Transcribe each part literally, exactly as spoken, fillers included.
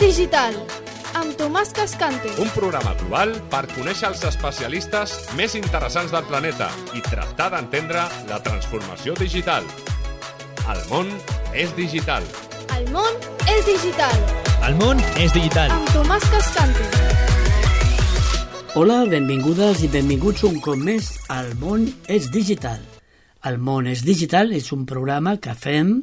Digital, amb Tomàs Cascante. Un programa global per conèixer els especialistes més interessants del planeta i tractar d'entendre la transformació digital. El món és digital. El món és digital. El món és digital. Amb Tomàs Cascante. Hola, benvingudes i benvinguts un cop més al món és digital. El món és digital és un programa que fem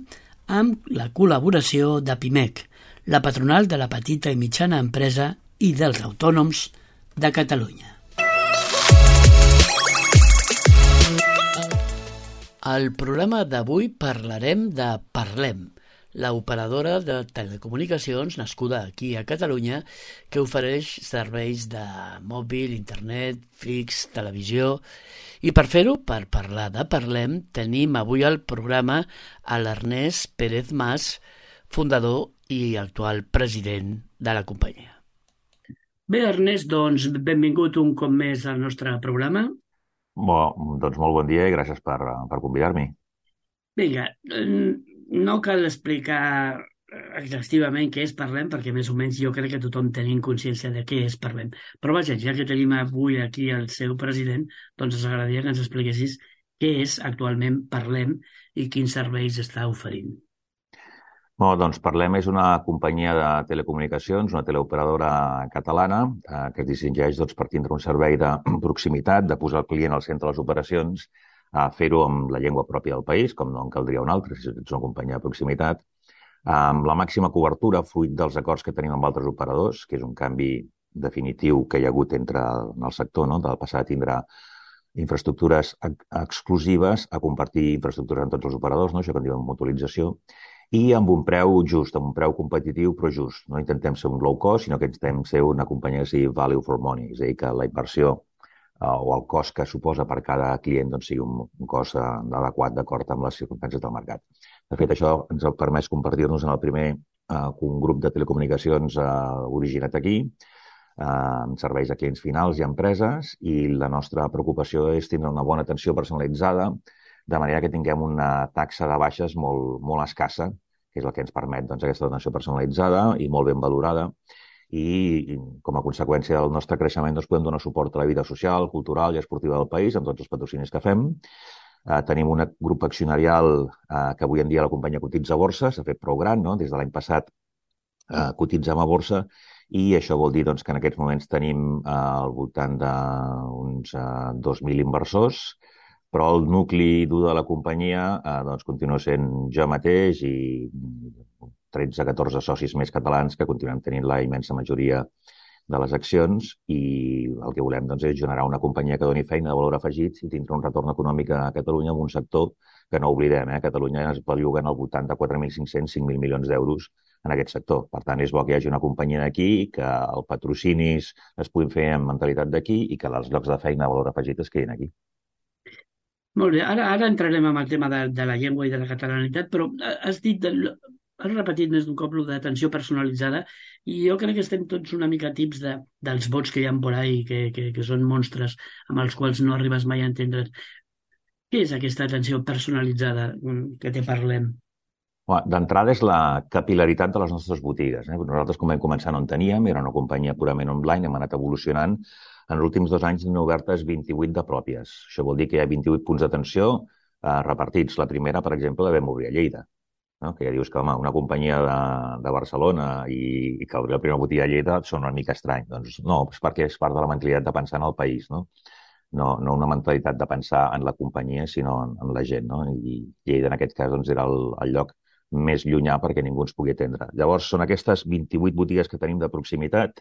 amb la col·laboració de Pimec, la patronal de la petita i mitjana empresa i dels autònoms de Catalunya. Al programa d'avui parlarem de Parlem, l'operadora de telecomunicacions nascuda aquí a Catalunya que ofereix serveis de mòbil, internet, fix, televisió. I per fer-ho, per parlar de Parlem, tenim avui al programa a l'Ernest Pérez Mas, fundador i actual president de la companyia. Bé, Ernest, doncs benvingut un cop més al nostre programa. Bo, doncs molt bon dia i gràcies per, per convidar-m'hi. Vinga, no cal explicar exhaustivament què és Parlem, perquè més o menys jo crec que tothom tenim consciència de què és Parlem. Però vaja, ja que tenim avui aquí el seu president, doncs ens agradaria que ens expliquessis què és actualment Parlem i quins serveis està oferint. Bé, doncs Parlem és una companyia de telecomunicacions, una teleoperadora catalana eh, que es distingeix doncs, per tindre un servei de proximitat, de posar el client al centre de les operacions, a fer-ho amb la llengua pròpia del país, com no en caldria una altra, si ets una companyia de proximitat, amb la màxima cobertura fruit dels acords que tenim amb altres operadors, que és un canvi definitiu que hi ha hagut entre en el sector, no? Del passat tindrà infraestructures exclusives a compartir infraestructures amb tots els operadors, no? Això que en diuen mutualització, i amb un preu just, amb un preu competitiu però just. No intentem ser un low cost, sinó que intentem ser una companyia que sigui value for money, és a dir, que la inversió eh, o el cost que suposa per cada client doncs, sigui un, un cost eh, adequat d'acord amb les circumstàncies del mercat. De fet, això ens ha permès convertir-nos en el primer eh, un grup de telecomunicacions eh, originat aquí, eh, amb serveis a clients finals i empreses, i la nostra preocupació és tindre una bona atenció personalitzada, de manera que tinguem una taxa de baixes molt, molt escassa, que és el que ens permet doncs, aquesta atenció personalitzada i molt ben valorada, i com a conseqüència del nostre creixement doncs, podem donar suport a la vida social, cultural i esportiva del país amb tots els patrocinis que fem. Eh, tenim un grup accionarial eh, que avui en dia la companyia cotitza a borsa, s'ha fet prou gran, no? Des de l'any passat eh, cotitzem a borsa, i això vol dir doncs, que en aquests moments tenim eh, al voltant d'uns eh, dos mil inversors, però el nucli dur de la companyia eh, doncs, continua sent jo mateix i tretze a catorze socis més catalans que continuem tenint la immensa majoria de les accions, i el que volem doncs, és generar una companyia que doni feina de valor afegit i tindre un retorn econòmic a Catalunya en un sector que no oblidem, eh? Catalunya es belluga al voltant de quatre mil cinc-cents a cinc mil milions d'euros en aquest sector. Per tant, és bo que hi hagi una companyia d'aquí, que els patrocinis es puguin fer amb mentalitat d'aquí i que els llocs de feina de valor afegit es quedin aquí. Molt bé, ara, ara entrarem en el tema de, de la llengua i de la catalanitat, però has dit, has repetit més d'un cop lo d'atenció personalitzada, i jo crec que estem tots una mica tips de, dels bots que hi ha por ahí, que, que, que són monstres amb els quals no arribes mai a entendre's. Què és aquesta atenció personalitzada que te parlem? D'entrada és la capil·laritat de les nostres botigues. Eh? Nosaltres, com vam començar, no en teníem, era una companyia purament online, hem anat evolucionant. En els últims dos anys n'hi ha obertes vint-i-vuit de pròpies. Això vol dir que hi ha vint-i-vuit punts d'atenció eh, repartits. La primera, per exemple, la vam obrir a Lleida, no? Que ja dius que home, una companyia de, de Barcelona i, i que obrir la primera botiga a Lleida són una mica estrany. Doncs no, és perquè és part de la mentalitat de pensar en el país, no? No, no una mentalitat de pensar en la companyia, sinó en, en la gent, no? I Lleida, en aquest cas, doncs, era el, el lloc més llunyà perquè ningú ens pugui atendre. Llavors, són aquestes vint-i-vuit botigues que tenim de proximitat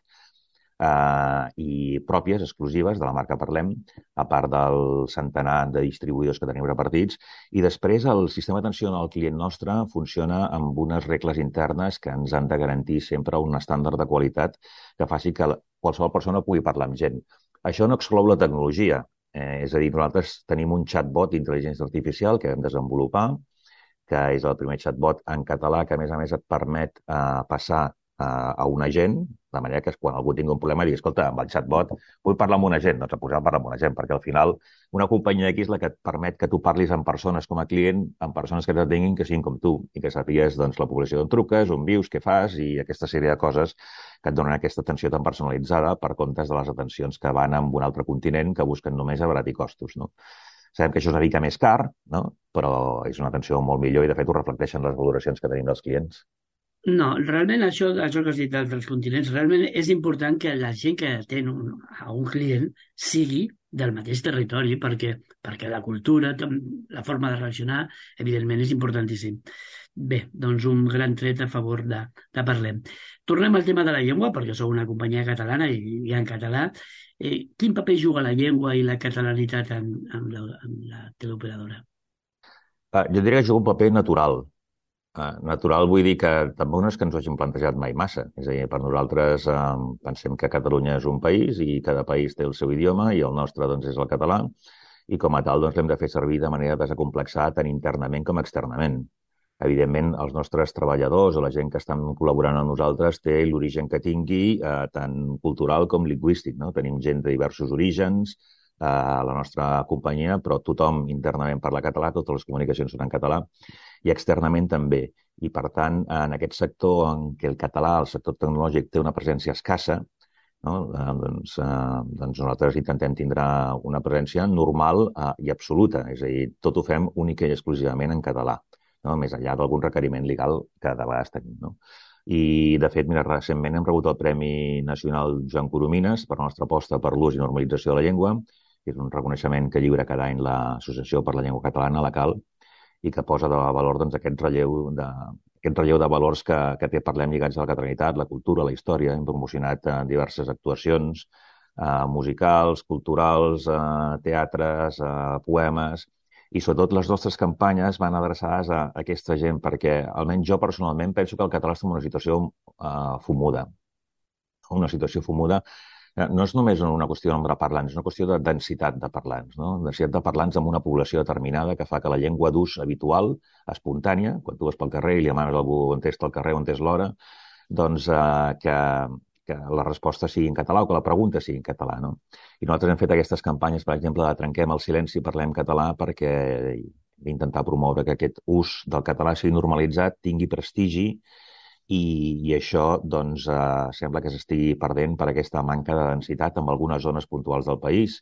Uh, i pròpies, exclusives, de la marca Parlem, a part del centenar de distribuïdors que tenim repartits. I després el sistema d'atenció al client nostre funciona amb unes regles internes que ens han de garantir sempre un estàndard de qualitat que faci que qualsevol persona pugui parlar amb gent. Això no exclou la tecnologia. Eh, és a dir, nosaltres tenim un chatbot d'intel·ligència artificial que vam desenvolupar, que és el primer chatbot en català que, a més a més, et permet eh, passar a un agent De manera que quan algú tingui un problema digui, escolta, amb el chatbot vull parlar amb una gent, doncs a posar a parlar amb una gent, perquè al final una companyia X és la que et permet que tu parlis amb persones com a client, amb persones que t'atenguin que siguin com tu i que sàpigues doncs, la població d'on truques, on vius, què fas i aquesta sèrie de coses que et donen aquesta atenció tan personalitzada per comptes de les atencions que van a un altre continent que busquen només abaratir costos, no? Sabem que això és una mica més car, no? Però és una atenció molt millor i, de fet, ho reflecteixen les valoracions que tenim dels clients. No, realment això, això que has dit dels continents, realment és important que la gent que atén un, a un client sigui del mateix territori, perquè, perquè la cultura, la forma de reaccionar, evidentment, és importantíssim. Bé, doncs un gran tret a favor de, de Parlem. Tornem al tema de la llengua, perquè sou una companyia catalana i, i en català. Eh, quin paper juga la llengua i la catalanitat en, en, la, en la teleoperadora? Uh, jo diria que juga un paper natural. Uh, natural vull dir que tampoc no és que ens ho hagin plantejat mai massa. És a dir, per nosaltres uh, pensem que Catalunya és un país i cada país té el seu idioma i el nostre doncs, és el català i com a tal doncs, l'hem de fer servir de manera desacomplexada tant internament com externament. Evidentment, els nostres treballadors o la gent que estan col·laborant amb nosaltres té l'origen que tingui eh, tant cultural com lingüístic, no? Tenim gent de diversos orígens eh, a la nostra companyia, però tothom internament parla català, totes les comunicacions són en català i externament també. I, per tant, en aquest sector en què el català, el sector tecnològic, té una presència escassa, no? eh, doncs, eh, doncs nosaltres intentem tindre una presència normal eh, i absoluta, és a dir, tot ho fem única i exclusivament en català. No? Més enllà d'algun requeriment legal que de vegades tenim. No? I, de fet, mira, recentment hem rebut el Premi Nacional Joan Coromines per la nostra aposta per l'ús i normalització de la llengua, que és un reconeixement que lliura cada any l'Associació per la Llengua Catalana, la CAL, i que posa de valor doncs, aquest, relleu de, aquest relleu de valors que, que té Parlem lligats a la catalanitat, la cultura, la història. Hem promocionat eh, diverses actuacions eh, musicals, culturals, eh, teatres, eh, poemes. I sobretot les nostres campanyes van adreçades a aquesta gent perquè, almenys jo personalment, penso que el català està en una situació uh, fumuda. Una situació fumuda no és només una qüestió de nombre de parlants, és una qüestió de densitat de parlants. No? Densitat de parlants amb una població determinada que fa que la llengua d'ús habitual, espontània, quan tu vas pel carrer i li demanes a algú on és el carrer, on és l'hora, doncs uh, que... que la resposta sigui en català o que la pregunta sigui en català. No? I nosaltres hem fet aquestes campanyes, per exemple, de Trenquem el silenci, parlem català, perquè intentar promoure que aquest ús del català sigui normalitzat, tingui prestigi i, i això doncs, eh, sembla que s'estigui perdent per aquesta manca de densitat en algunes zones puntuals del país.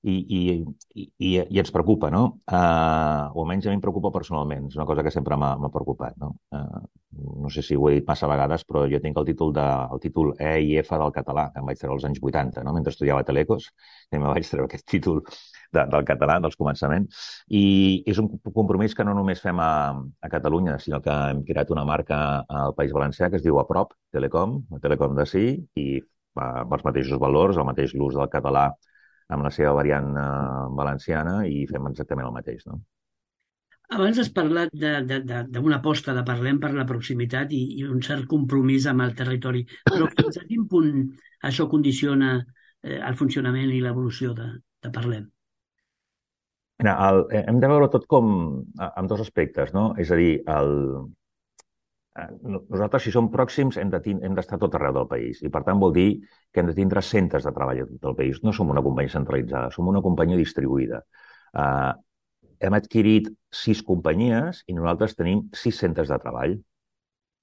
I, i, i, i ens preocupa, no? Uh, o almenys a mi em preocupa personalment. És una cosa que sempre m'ha preocupat, no? Uh, no sé si ho he dit massa vegades, però jo tinc el títol, de, el títol E i F del català, que em vaig treure als anys vuitanta, no? Mentre estudiava a Telecos, i em vaig treure aquest títol de, del català, dels començaments. I és un compromís que no només fem a, a Catalunya, sinó que hem creat una marca al País Valencià que es diu Aprop, Telecom, Telecom de sí, i uh, amb els mateixos valors, el mateix l'ús del català amb la seva variant uh, valenciana i fem exactament el mateix. No? Abans has parlat d'una aposta de Parlem per la proximitat i, i un cert compromís amb el territori, però fins a quin punt això condiciona eh, el funcionament i l'evolució de, de Parlem? Mira, el, hem de veure tot com amb dos aspectes, no? És a dir, el, nosaltres, si som pròxims, hem d'estar tot arreu del país i, per tant, vol dir que hem de tindre centres de treball a tot el país. No som una companyia centralitzada, som una companyia distribuïda. Uh, hem adquirit sis companyies i nosaltres tenim sis centres de treball.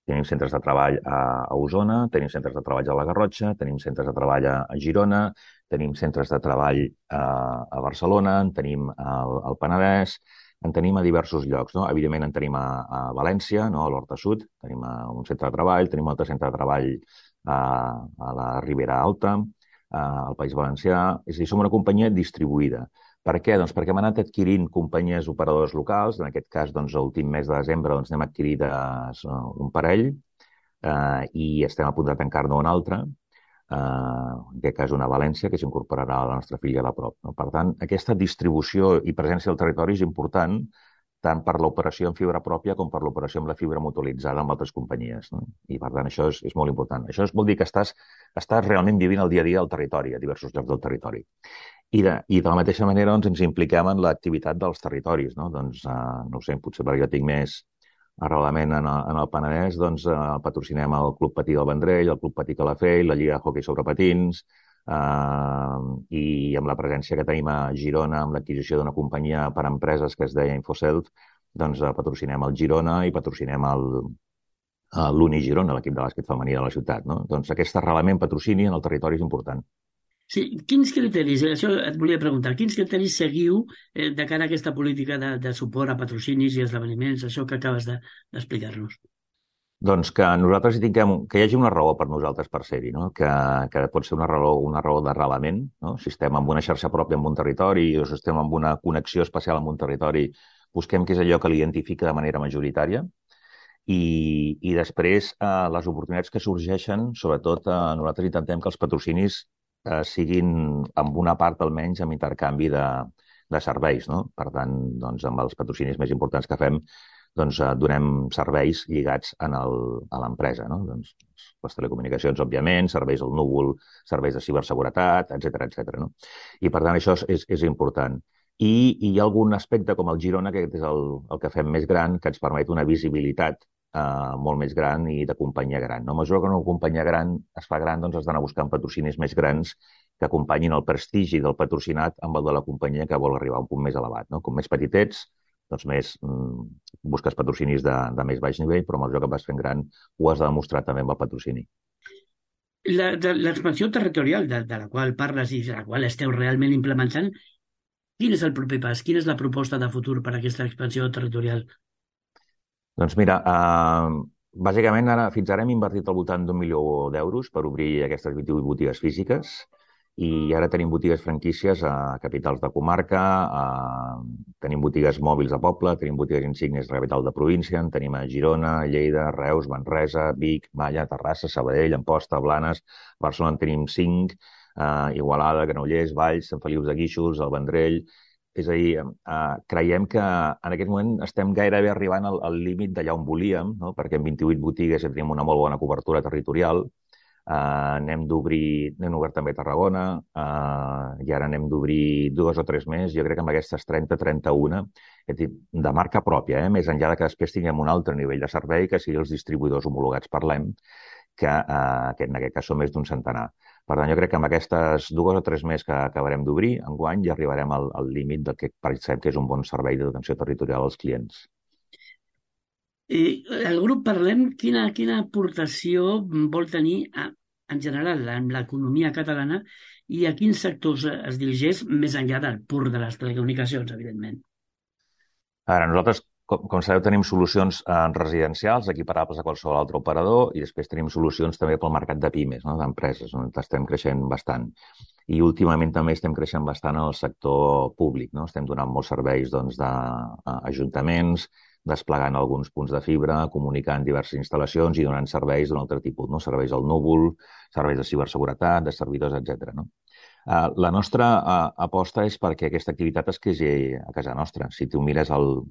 Tenim centres de treball a, a Osona, tenim centres de treball a la Garrotxa, tenim centres de treball a, a Girona, tenim centres de treball a, a Barcelona, en tenim al, al Penedès, en tenim a diversos llocs. No? Evidentment, en tenim a, a València, no? A l'Horta Sud, tenim a un centre de treball, tenim un altre centre de treball a, a la Ribera Alta, a, al País Valencià. És a dir, som una companyia distribuïda. Per què? Doncs perquè hem anat adquirint companyies operadores locals. En aquest cas, doncs, l'últim mes de desembre doncs, n'hem adquirit un parell eh, i estem a punt de tancar-ne un altre. Uh, en aquest cas una València, que s'incorporarà a la nostra filla a la prop. No? Per tant, aquesta distribució i presència del territori és important tant per l'operació en fibra pròpia com per l'operació amb la fibra mutualitzada amb altres companyies. No? I, per tant, això és, és molt important. Això vol dir que estàs, estàs realment vivint el dia a dia del territori, a diversos llocs del territori. I de, i de la mateixa manera doncs, ens impliquem en l'activitat dels territoris. No? Doncs, uh, no ho sé, potser perquè jo tinc més arrelament en el, en el Penedès, doncs eh, patrocinem el Club Patí del Vendrell, el Club Patí Calafell, la Lliga de Hockey sobre Patins, eh, i amb la presència que tenim a Girona, amb l'adquisició d'una companyia per empreses que es deia Infoself, doncs eh, patrocinem el Girona i patrocinem el, eh, l'Uni Girona, l'equip de bàsquet femení de la ciutat. No? Doncs aquest arrelament patrocini en el territori és important. Sí, quins criteris, això et volia preguntar, quins criteris seguiu eh, de cara a aquesta política de, de suport a patrocinis i esdeveniments, això que acabes de- d'explicar-nos? Doncs que nosaltres hi tinguem, que hi hagi una raó per nosaltres per ser-hi, no? que, que pot ser una raó, una raó d'arrelament, no? Si estem en una xarxa pròpia en un territori o si estem en una connexió especial amb un territori, busquem què és allò que l'identifica de manera majoritària i, i després eh, les oportunitats que sorgeixen, sobretot eh, nosaltres intentem que els patrocinis eh, siguin amb una part almenys amb intercanvi de, de serveis, no? Per tant, doncs, amb els patrocinis més importants que fem, doncs eh, donem serveis lligats en el, a l'empresa, no? Doncs, les telecomunicacions, òbviament, serveis al núvol, serveis de ciberseguretat, etcètera, etcètera, no? I per tant això és, és important. I, I hi ha algun aspecte com el Girona, que és el, el que fem més gran, que ens permet una visibilitat eh, molt més gran i de companyia gran. No? A mesura que una companyia gran es fa gran, doncs has d'anar buscant patrocinis més grans que acompanyin el prestigi del patrocinat amb el de la companyia que vol arribar a un punt més elevat. No? Com més petitets, doncs més mm, busques patrocinis de, de més baix nivell, però a mesura que vas fent gran ho has de demostrar també amb el patrocini. La- de- L'expansió territorial de, de la qual parles i de la qual esteu realment implementant, quin és el proper pas? Quina és la proposta de futur per a aquesta expansió territorial? Doncs mira, eh, bàsicament ara, fins ara hem invertit al voltant d'un milió d'euros per obrir aquestes vint-i-vuit botigues físiques i ara tenim botigues franquícies a capitals de comarca, a... tenim botigues mòbils a Poble, tenim botigues insígnies a la capital de província, en tenim a Girona, Lleida, Reus, Manresa, Vic, Malla, Terrassa, Sabadell, Amposta, Blanes, Barcelona en tenim cinc, eh, Igualada, Granollers, Valls, Sant Feliu de Guíxols, el Vendrell. És a dir, eh, creiem que en aquest moment estem gairebé arribant al, al límit d'allà on volíem, no? Perquè en vint-i-vuit botigues ja tenim una molt bona cobertura territorial. Uh, n'hem d'obrir, n'hem obert també a Tarragona, uh, i ara n'hem d'obrir dues o tres més. Jo crec que amb aquestes trenta trenta u, de marca pròpia, eh? Més enllà de que després tinguem un altre nivell de servei, que sigui els distribuïdors homologats per l'E M, que, uh, que en aquest cas són més d'un centenar. Per tant, jo crec que amb aquestes dues o tres més que acabarem d'obrir, enguany ja arribarem al, al límit del que pensem que és un bon servei d'atenció territorial als clients. Eh, el grup Parlem, quina, quina aportació vol tenir a, en general en l'economia catalana i a quins sectors es dirigeix més enllà del pur de les telecomunicacions, evidentment? Ara, nosaltres, com, com sabeu, tenim solucions eh, residencials equiparables a qualsevol altre operador i després tenim solucions també pel mercat de pimes, no? D'empreses, on estem creixent bastant. I últimament també estem creixent bastant en el sector públic, no? Estem donant molts serveis doncs, d'ajuntaments, desplegant alguns punts de fibra, comunicant diverses instal·lacions i donant serveis d'un altre tipus, no? Serveis al núvol, serveis de ciberseguretat, de servidors, etcètera. No? Uh, la nostra uh, aposta és perquè aquesta activitat es quedi a casa nostra. Si tu mires el,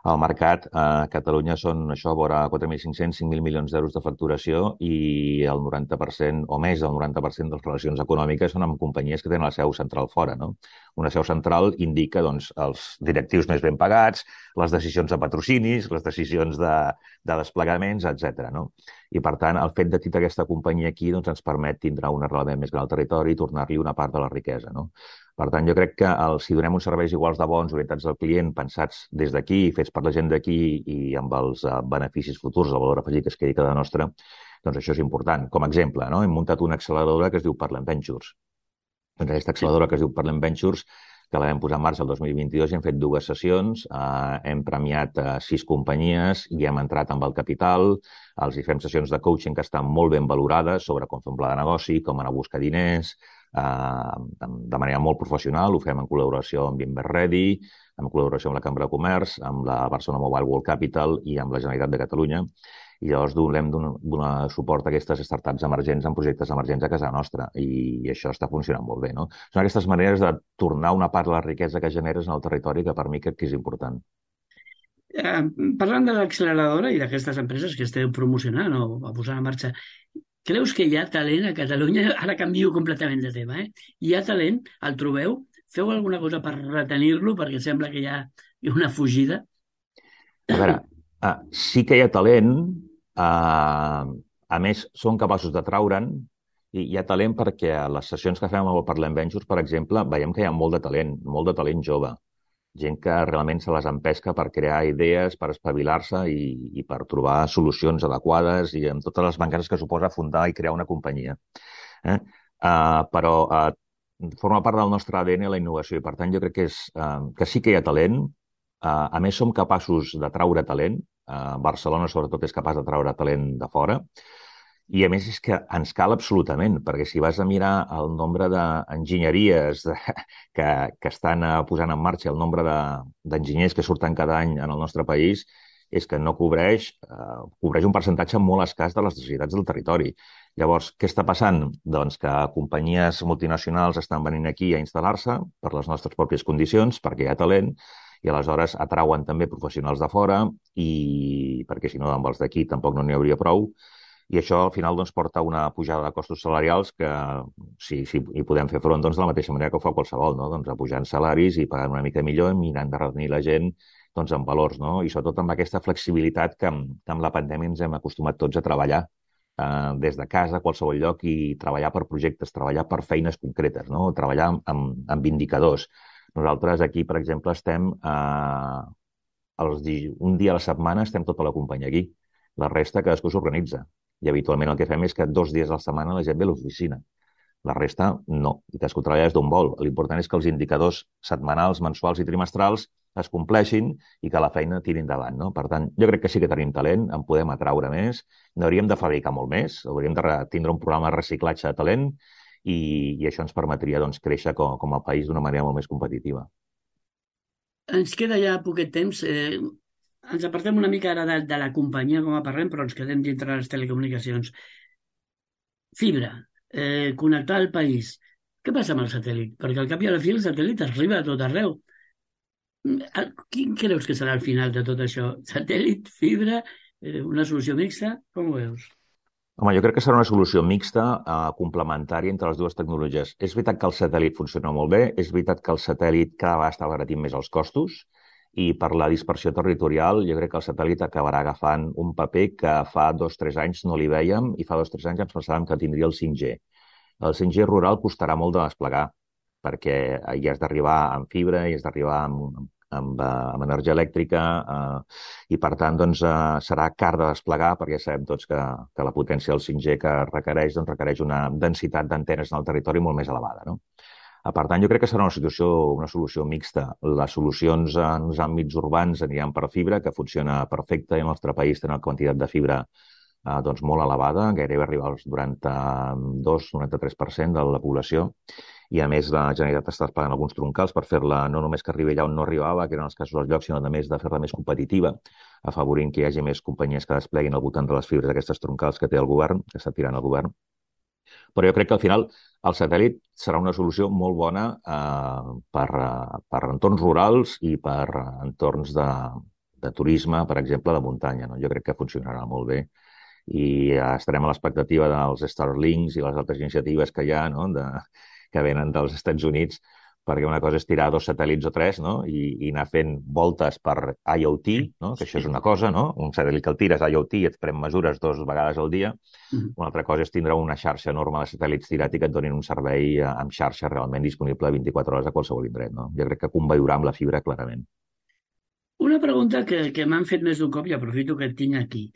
el mercat, a Catalunya són això, vora quatre mil cinc-cents, cinc mil milions d'euros de facturació i el noranta per cent o més del noranta per cent de les relacions econòmiques són amb companyies que tenen la seu central fora. No? Una seu central indica doncs, els directius més ben pagats, les decisions de patrocinis, les decisions de, de desplegaments, etcètera. No? I, per tant, el fet de tenir aquesta companyia aquí doncs, ens permet tindre un arrelament més gran al territori i tornar-li una part de la riquesa. No? Per tant, jo crec que el, si donem uns serveis iguals de bons, orientats al client, pensats des d'aquí, fets per la gent d'aquí i amb els uh, beneficis futurs, el valor afegit que es quedi cada nostra, doncs això és important. Com a exemple, no? Hem muntat una acceleradora que es diu Parlem Ventures. Doncs aquesta acceleradora que es diu Parlem Ventures, que la vam posar en marxa el dos mil vint-i-dos i hem fet dues sessions, eh, hem premiat eh, sis companyies i hem entrat amb el capital, els hi fem sessions de coaching que estan molt ben valorades sobre com fer un pla de negoci, com anar a buscar diners, eh, de manera molt professional, ho fem en col·laboració amb Invest Ready, en col·laboració amb la Cambra de Comerç, amb la Barcelona Mobile World Capital i amb la Generalitat de Catalunya. I llavors donem donar suport a aquestes startups emergents en projectes emergents a casa nostra i això està funcionant molt bé. No? Són aquestes maneres de tornar una part de la riquesa que generes en el territori que per mi crec que és important. Eh, parlant de l'acceleradora i d'aquestes empreses que esteu promocionant o posant en marxa, creus que hi ha talent a Catalunya? Ara canvio completament de tema. Eh? Hi ha talent? El trobeu? Feu alguna cosa per retenir-lo perquè sembla que hi ha una fugida? A veure, Ah, sí que hi ha talent, uh, a més, són capaços de traure'n, i hi ha talent perquè a les sessions que fem amb el Parlem Ventures, per exemple, veiem que hi ha molt de talent, molt de talent jove. Gent que realment se les empesca per crear idees, per espavilar-se i, i per trobar solucions adequades i amb totes les mancances que suposa fundar i crear una companyia. Eh? Uh, però uh, forma part del nostre A D N la innovació i, per tant, jo crec que, és, uh, que sí que hi ha talent. Uh, a més, som capaços de traure talent. Uh, Barcelona, sobretot, és capaç de traure talent de fora. I, a més, és que ens cal absolutament, perquè si vas a mirar el nombre d'enginyeries de, que, que estan posant en marxa, el nombre d'enginyers que surten cada any en el nostre país, és que no cobreix, eh, cobreix un percentatge molt escàs de les necessitats del territori. Llavors, què està passant? Doncs que companyies multinacionals estan venint aquí a instal·lar-se per les nostres pròpies condicions, perquè hi ha talent, i aleshores atrauen també professionals de fora, i perquè si no, amb els d'aquí tampoc no n'hi hauria prou. I això, al final, doncs, porta a una pujada de costos salarials que, si, si hi podem fer front, doncs, de la mateixa manera que ho fa qualsevol, no? Doncs, apujant salaris i pagant una mica millor, mirant de retenir la gent doncs, amb valors, no? I sobretot amb aquesta flexibilitat que, que amb la pandèmia ens hem acostumat tots a treballar eh, des de casa, a qualsevol lloc, i treballar per projectes, treballar per feines concretes, no? Treballar amb, amb, amb indicadors. Nosaltres aquí, per exemple, estem eh, els di... un dia a la setmana estem tota la companyia aquí. La resta cadascú s'organitza. I habitualment el que fem és que dos dies a la setmana la gent ve a l'oficina. La resta, no. I cadascú treballa des d'on vol. L'important és que els indicadors setmanals, mensuals i trimestrals es compleixin i que la feina tiri endavant, no? Per tant, jo crec que sí que tenim talent, en podem atraure més, n'hauríem de fabricar molt més, hauríem de tindre un programa de reciclatge de talent i, i això ens permetria doncs, créixer com, com a país d'una manera molt més competitiva. Ens queda ja poquet temps. Eh, ens apartem una mica ara de, de la companyia com a parlem, però ens quedem dintre de les telecomunicacions. Fibra, eh, connectar el país. Què passa amb el satèl·lit? Perquè al cap i a la fi el satèl·lit arriba a tot arreu. Quin creus que serà el final de tot això? Satèl·lit, fibra, eh, una solució mixta? Com ho veus? Home, jo crec que serà una solució mixta, eh, complementària entre les dues tecnologies. És veritat que el satèl·lit funciona molt bé, és veritat que el satèl·lit cada vegada està abaratint més els costos, i per la dispersió territorial jo crec que el satèl·lit acabarà agafant un paper que fa dos o tres anys no li vèiem i fa dos o tres anys ens pensàvem que tindria el cinc G. El cinc G rural costarà molt de desplegar perquè hi has d'arribar amb fibra, hi has d'arribar amb, amb, amb energia elèctrica eh, i per tant doncs, eh, serà car de desplegar perquè sabem tots que, que la potència del cinc G que requereix doncs, requereix una densitat d'antenes en el territori molt més elevada, no? Per tant, jo crec que serà una solució, una solució mixta. Les solucions en els àmbits urbans aniran per fibra, que funciona perfecte i al nostre país té una quantitat de fibra eh, doncs molt elevada, gairebé arriba als noranta-dos noranta-tres per cent de la població. I, a més, la Generalitat està desplegant alguns troncals per fer-la no només que arribi allà on no arribava, que eren els casos dels llocs, sinó a més de fer-la més competitiva, afavorint que hi hagi més companyies que despleguin al voltant de les fibres d'aquestes troncals que té el govern, que està tirant el govern. Però jo crec que al final el satèl·lit serà una solució molt bona eh, per, per entorns rurals i per entorns de, de turisme, per exemple, de muntanya, no? Jo crec que funcionarà molt bé i estarem a l'expectativa dels Starlinks i les altres iniciatives que hi ha, no? de, que venen dels Estats Units, perquè una cosa és tirar dos satèl·lits o tres, no? I, i anar fent voltes per I O T, no? Que això és una cosa, no? Un satèl·lit que el tires I O T i et pren mesures dues vegades al dia. Mm-hmm. Una altra cosa és tindre una xarxa enorme de satèl·lits tirat i que et donin un servei amb xarxa realment disponible vint-i-quatre hores a qualsevol indret, no? Jo crec que conviurà amb la fibra clarament. Una pregunta que, que m'han fet més d'un cop i aprofito que et tinc aquí.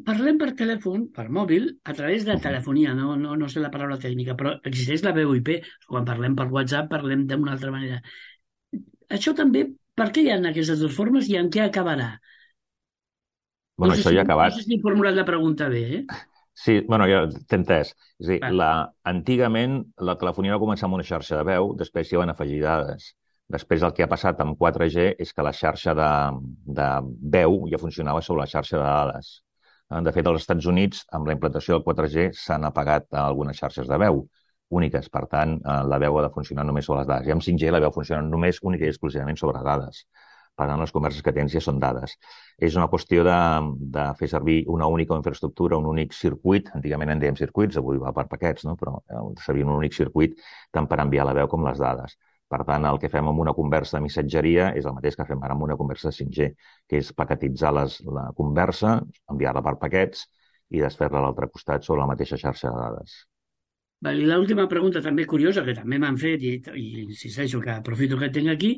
Parlem per telèfon, per mòbil, a través de telefonia, no, no, no sé la paraula tècnica, però existeix la V O I P. Quan parlem per WhatsApp parlem d'una altra manera. Això també, per què hi ha aquestes dues formes i en què acabarà? Bueno, no sé això si, ja ha acabat. No sé si he formulat la pregunta bé, eh? Sí, bueno, ja t'he entès. És a dir, la, antigament la telefonia va començar amb una xarxa de veu, després s'hi van afegir dades. Després el que ha passat amb quatre G és que la xarxa de, de veu ja funcionava sobre la xarxa de dades. De fet, als Estats Units, amb la implantació del quatre G, s'han apagat algunes xarxes de veu úniques. Per tant, la veu ha de funcionar només sobre les dades. I amb cinc G la veu funciona només única i exclusivament sobre dades. Per tant, les converses que tens ja són dades. És una qüestió de, de fer servir una única infraestructura, un únic circuit. Antigament en dèiem circuits, avui va per paquets, no? Però servir un únic circuit tant per enviar la veu com les dades. Per tant, el que fem amb una conversa de missatgeria és el mateix que fem ara amb una conversa de cinc G, que és paquetitzar les, la conversa, enviar-la per paquets i desfer-la a l'altre costat sobre la mateixa xarxa de dades. I l'última pregunta també curiosa, que també m'han fet, i, i insisteixo que aprofito que tinc aquí,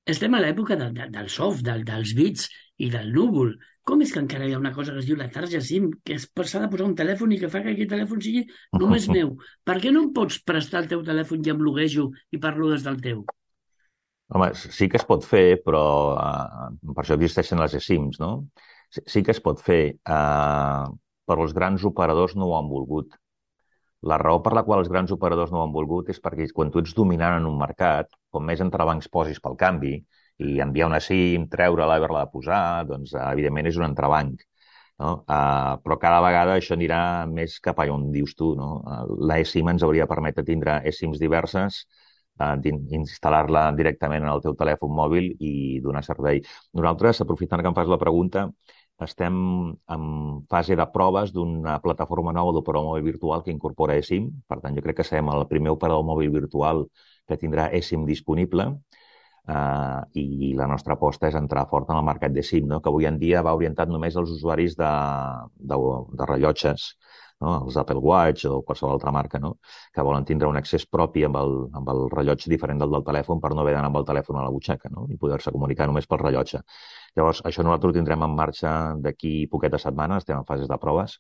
estem a l'època de, de, del soft, del, dels bits i del núvol. Com és que encara hi ha una cosa que es diu la tarja SIM, que s'ha de posar un telèfon i que fa que aquest telèfon sigui només meu? Per què no em pots prestar el teu telèfon i em loguejo i parlo des del teu? Home, sí que es pot fer, però uh, per això existeixen les eSIMs, no? Sí, sí que es pot fer, uh, però els grans operadors no ho han volgut. La raó per la qual els grans operadors no ho han volgut és perquè quan tu ets dominant en un mercat, com més entrebancs posis pel canvi, i enviar una SIM, treure-la, haver-la de posar, doncs, evidentment, és un entrebanc. No? Uh, però cada vegada això anirà més cap a on dius tu. No? Uh, la eSIM ens hauria de permetre tindre eSIMs diverses, uh, instal·lar-la directament en el teu telèfon mòbil i donar servei. Nosaltres, aprofitant que em fas la pregunta, estem en fase de proves d'una plataforma nova d'operador mòbil virtual que incorpora eSIM. Per tant, jo crec que serem el primer operador mòbil virtual que tindrà eSIM disponible. Uh, i la nostra aposta és entrar fort en el mercat de SIM, no? Que avui en dia va orientat només als usuaris de, de, de rellotges, no? Els Apple Watch o qualsevol altra marca, no? Que volen tindre un accés propi amb el, amb el rellotge diferent del del telèfon per no haver d'anar amb el telèfon a la butxaca, no? I poder-se comunicar només pel rellotge. Llavors, això nosaltres ho tindrem en marxa d'aquí poquetes setmanes, estem en fases de proves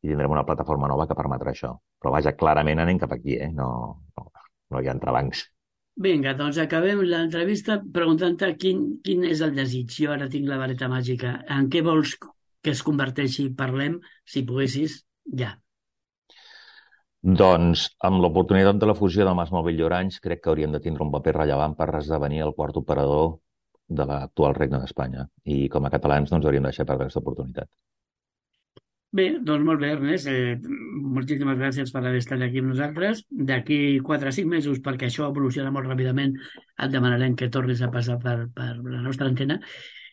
i tindrem una plataforma nova que permetrà això. Però vaja, clarament anem cap aquí, eh? No, no, no hi ha entrebancs. Vinga, doncs acabem l'entrevista preguntant-te quin, quin és el desig. Jo ara tinc la vareta màgica. En què vols que es converteixi? Parlem, si poguessis, ja. Doncs, amb l'oportunitat de la fusió del MásMóvil i Orange, crec que hauríem de tindre un paper rellevant per esdevenir el quart operador de l'actual Regne d'Espanya. I com a catalans no ens hauríem de deixar perdre aquesta oportunitat. Bé, doncs molt bé, Ernest. Eh, moltíssimes gràcies per haver estat aquí amb nosaltres. D'aquí quatre o cinc mesos, perquè això evoluciona molt ràpidament, et demanarem que tornis a passar per, per la nostra antena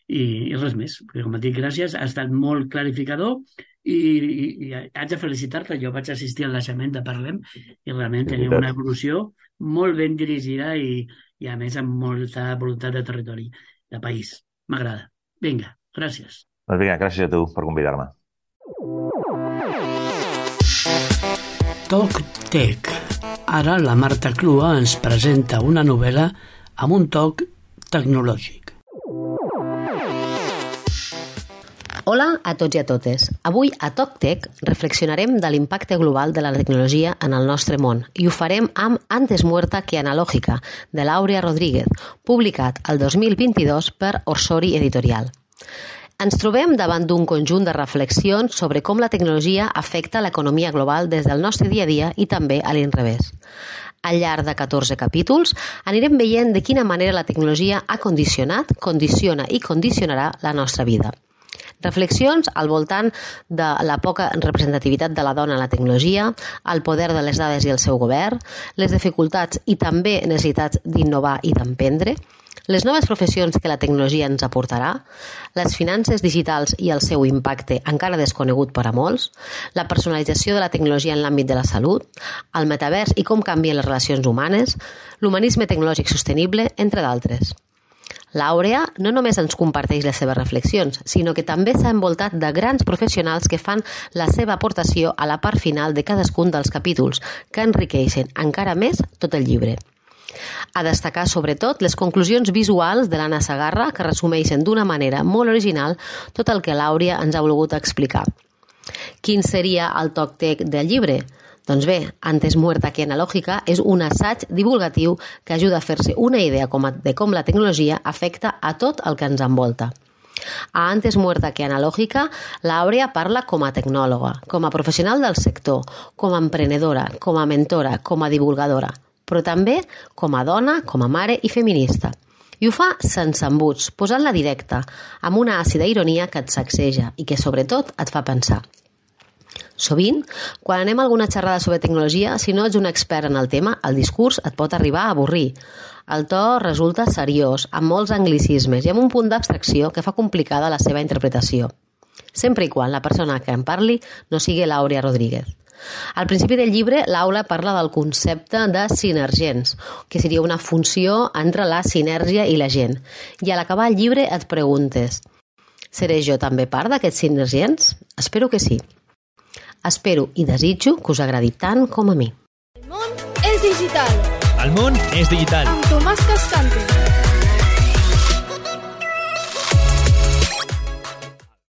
i, i res més. Perquè, com et dic, gràcies. Ha estat molt clarificador i, i, i haig de felicitar-te. Jo vaig assistir al naixement de Parlem i realment teniu una evolució molt ben dirigida i, i a més amb molta voluntat de territori, de país. M'agrada. Vinga, gràcies. Doncs vinga, gràcies a tu per convidar-me. Toc Tec. Ara la Marta Clua ens presenta una novel·la amb un toc tecnològic. Hola a tots i a totes. Avui a Toc Tec reflexionarem de l'impacte global de la tecnologia en el nostre món i ho farem amb Antes muerta que analógica, de l'Àurea Rodríguez, publicat el dos mil vint-i-dos per Orsori Editorial. Ens trobem davant d'un conjunt de reflexions sobre com la tecnologia afecta l'economia global des del nostre dia a dia i també a l'inrevés. Al llarg de catorze capítols anirem veient de quina manera la tecnologia ha condicionat, condiciona i condicionarà la nostra vida. Reflexions al voltant de la poca representativitat de la dona en la tecnologia, el poder de les dades i el seu govern, les dificultats i també necessitats d'innovar i d'emprendre, les noves professions que la tecnologia ens aportarà, les finances digitals i el seu impacte encara desconegut per a molts, la personalització de la tecnologia en l'àmbit de la salut, el metavers i com canvien les relacions humanes, l'humanisme tecnològic sostenible, entre d'altres. L'Àurea no només ens comparteix les seves reflexions, sinó que també s'ha envoltat de grans professionals que fan la seva aportació a la part final de cadascun dels capítols, que enriqueixen encara més tot el llibre. A destacar, sobretot, les conclusions visuals de l'Anna Sagarra, que resumeixen d'una manera molt original tot el que l'Àurea ens ha volgut explicar. Quin seria el toc tec del llibre? Doncs bé, Antes muerta que analógica és un assaig divulgatiu que ajuda a fer-se una idea de com la tecnologia afecta a tot el que ens envolta. A Antes muerta que analógica, l'Àurea parla com a tecnòloga, com a professional del sector, com a emprenedora, com a mentora, com a divulgadora, però també com a dona, com a mare i feminista. I ho fa sense embuts, posant-la directa, amb una àcida ironia que et sacseja i que, sobretot, et fa pensar. Sovint, quan anem a alguna xerrada sobre tecnologia, si no ets un expert en el tema, el discurs et pot arribar a avorrir. El to resulta seriós, amb molts anglicismes i amb un punt d'abstracció que fa complicada la seva interpretació. Sempre i quan la persona que en parli no sigui l'Àurea Rodríguez. Al principi del llibre, l'Aula parla del concepte de sinergents, que seria una funció entre la sinergia i la gent. I a l'acabar el llibre et preguntes: seré jo també part d'aquests sinergents? Espero que sí. Espero i desitjo que us agradi tant com a mi. El món és digital. El món és digital. Amb Tomàs Cascante.